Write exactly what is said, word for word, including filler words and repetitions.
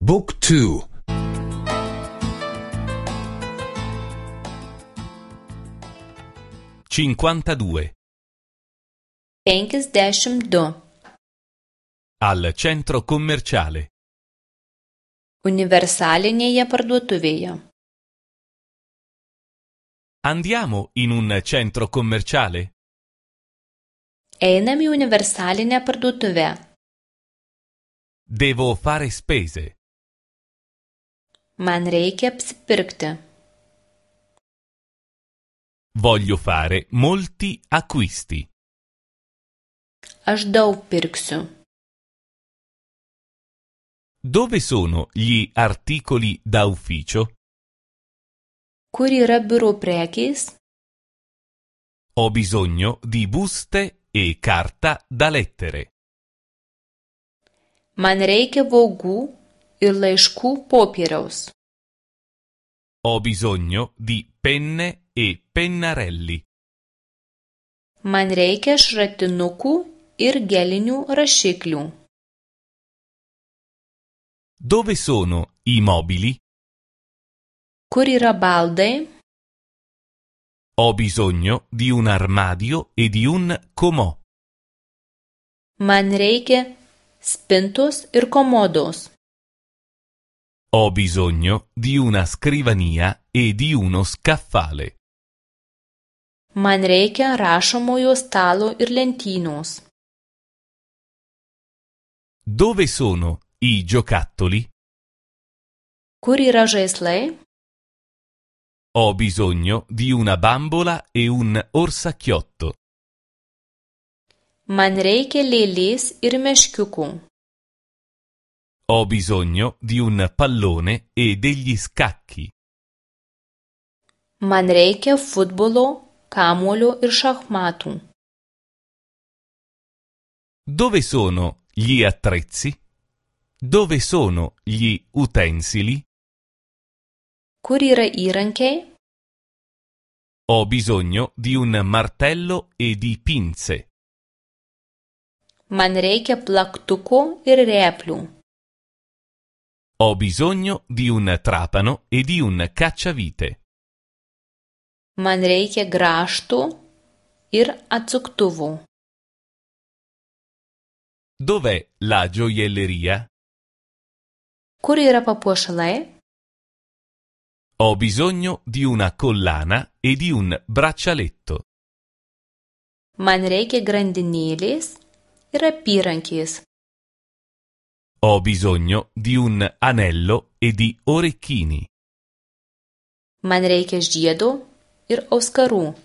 Book two. cinquantadue. penkiasdešimt du. Al centro commerciale. Universalinėje parduotuvėje. Andiamo in un centro commerciale? Einam į universalinę parduotuvę. Devo fare spese. Man reikia apsipirkti. Voglio fare molti acquisti. Aš daug pirksiu. Dove sono gli articoli da ufficio? Kur yra biuro prekės? Ho bisogno di buste e carta da lettere. Man reikia vogų ir laiškų popieriaus. Ho bisogno di penne e pennarelli. Man reikia šratinukų ir gelinių rašiklių. Dove sono i mobili? Kur yra baldai? Ho bisogno di un armadio e di un comò. Man reikia spintos ir komodos. Ho bisogno di una scrivania e di uno scaffale. Man reikia rašomojo stalo ir lentynos. Dove sono i giocattoli? Kur yra žaislai? Ho bisogno di una bambola e un orsacchiotto. Man reikia lėlės ir meškiukų. Ho bisogno di un pallone e degli scacchi. Man reikia futbolo, kamuolio ir šachmatų. Dove sono gli attrezzi? Dove sono gli utensili? Kur yra įrankiai? Ho bisogno di un martello e di pinze. Man reikia plaktuko ir replių. Ho bisogno di un trapano e di un cacciavite. Man reikia grąžtų ir atsuktuvų. Dov'è la gioielleria? Kur yra papuošalai? Ho bisogno di una collana e di un braccialetto. Man reikia grandinėlės ir apyrankės. Ho bisogno di un anello e di orecchini. Man reikia žiedo ir auskarų.